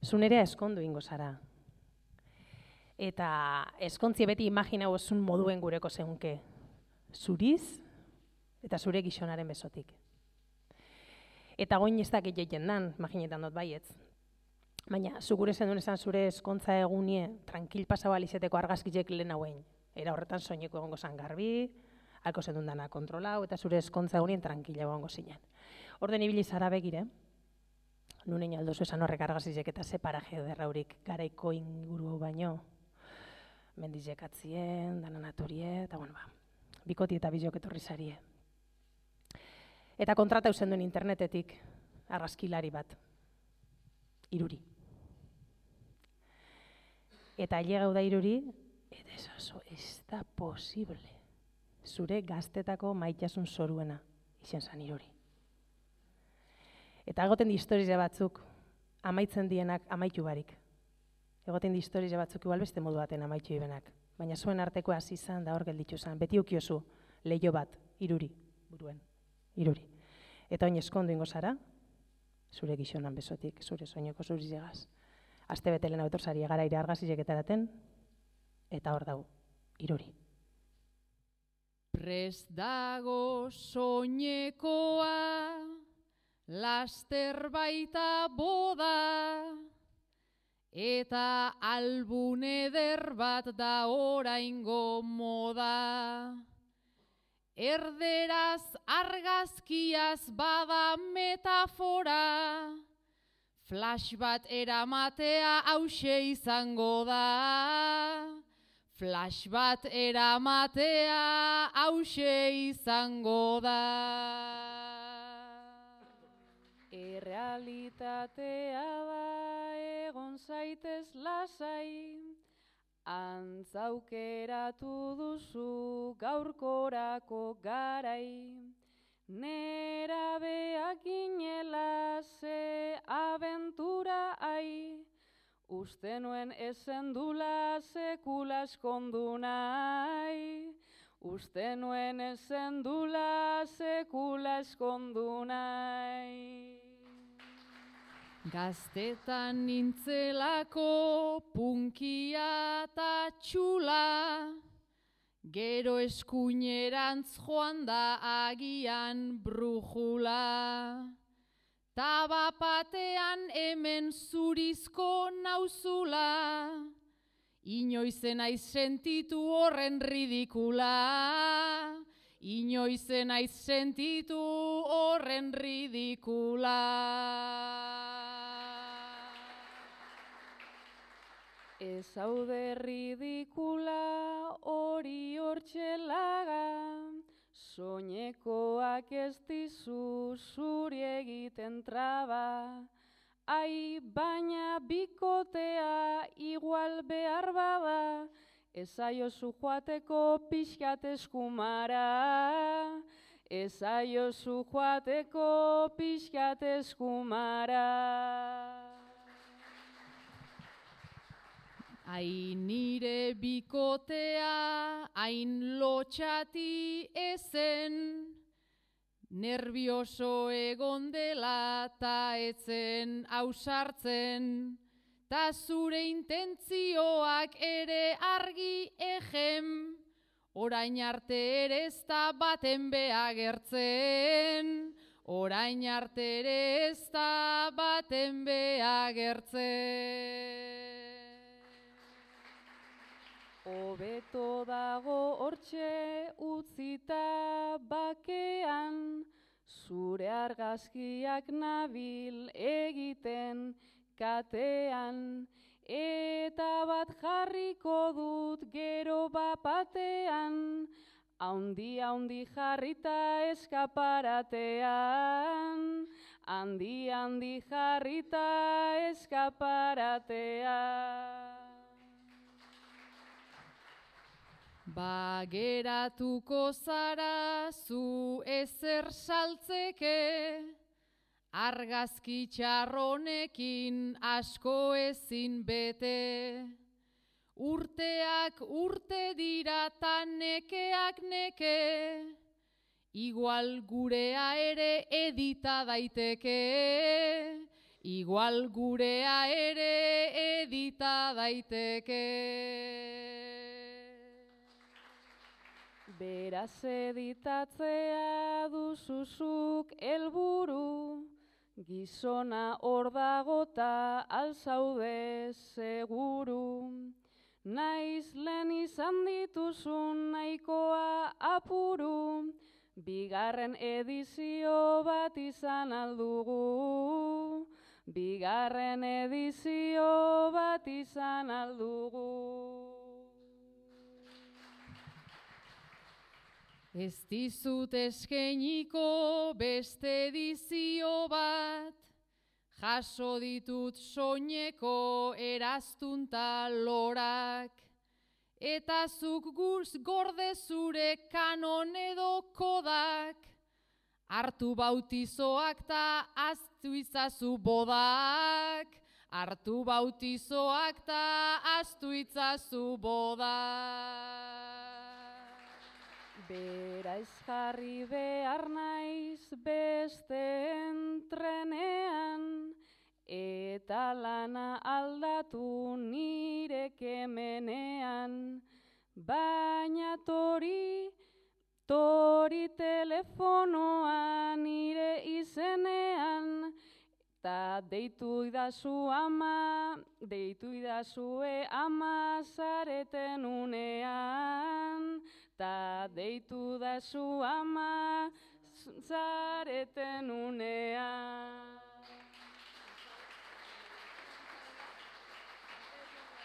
zu nerea eskondu ingo zara. Eta eskontzie beti imaginau esun moduen gureko zeunke. Zuriz eta zure gizonaren besotik. Eta goin ez dakit jeiten dan, imaginetan dut baietz. Baina, zu gure zendun esan zure eskontza egunie, tranquil pasau alizeteko argazkizek lehen hauen. Era horretan soineko egongo zan garbi, halko zendun dana kontrolau, eta zure eskontza egunien tranquila egongo zinen. Orden ibili zara begire, nunein aldozu esan horrek argazkizek eta ze paraje derraurik garaiko inguru baino, mendizek atzien, dana naturie, eta bueno, bikoti eta bizok etorri zarie. Eta kontrata usen duen internetetik argazkilari bat, Iruri. Eta ailegau da Iruri, eta ez da posible. Zure gaztetako maitasun zoruena izen zan Iruri. Eta egoten di historia batzuk, amaitzen dienak amaitu barik. Egoten di historia batzuk igual beste modu baten amaitu ibenak. Baina zuen arteko hasi izan da hor gelditu zen. Beti ukiozu leiho bat, Iruri, buruen, Iruri. Eta oin eskondu ingo zara, zure gizonan besotik, zure soineko zurizegaz. Aste bete lehena betorzari egara ire argazizek etaraten, eta hor dau, Iruri. Prest dago soinekoa, laster baita boda, eta albun eder bat da oraingo moda. Erderaz argazkiaz bada metafora, flash bat eramatea hause izango da. Flash bat eramatea hause izango da. Errealitatea da egon zaitez lasai, antzaukeratu duzu gaurkorako garai. Nerabeak ginela ze abentura ai, uste nuen ezendula sekula eskondu nahi. Uste nuen ezendula sekula eskondu nahi. Gaztetan nintzelako punkia eta txula, gero eskuinerantz joan da agian brujula. Tabapatean hemen zurizko nauzula, inoizen aiz sentitu horren ridikula. Inoizen aiz sentitu horren ridikula. Ez haude ridikula hori hortxelaga, soinekoak ez dizu zuri egiten traba. Ai, baina bikotea igual behar bada, ezaiozu joateko pixkat eskumara. Ezaiozu joateko pixkat eskumara. Hain nire bikotea, hain lotxati ezen, nervioso egon dela ta etzen ausartzen, ta zure intentzioak ere argi ejem, orain arte ere ez da baten beagertzen. Orain arte ere ez da baten beagertzen. Hobeto dago hortxe utzita bakean, zure argazkiak nabil egiten katean, eta bat jarriko dut gero bapatean, haundi jarrita eskaparatean, haundi jarrita eskaparatean. Bageratuko zara zu ezer saltzeke, argazki txarronekin asko ezin bete. Urteak urte dira ta nekeak neke, igual gurea ere edita daiteke. igual gurea ere edita daiteke. Beraz editatzea duzuzuk helburu, gizona hor dagota alzaude seguru. Naiz lehen izan dituzun nahikoa apuru, bigarren edizio bat izan aldugu. Bigarren edizio bat izan aldugu. Ez dizut eskainiko beste edizio bat, jaso ditut soineko eraztunta lorak, eta zuk gorde zure kanon edo kodak, hartu bautizoak ta ahaztu itzazu bodak, hartu bautizoak ta ahaztu itzazu bodak. Bera ez jarri behar naiz beste entrenean, eta lana aldatu nire kemenean, baina tori telefonoa nire izenean, ta deitu idazue ama zareten unean, ta deitu dazu ama zareten unean.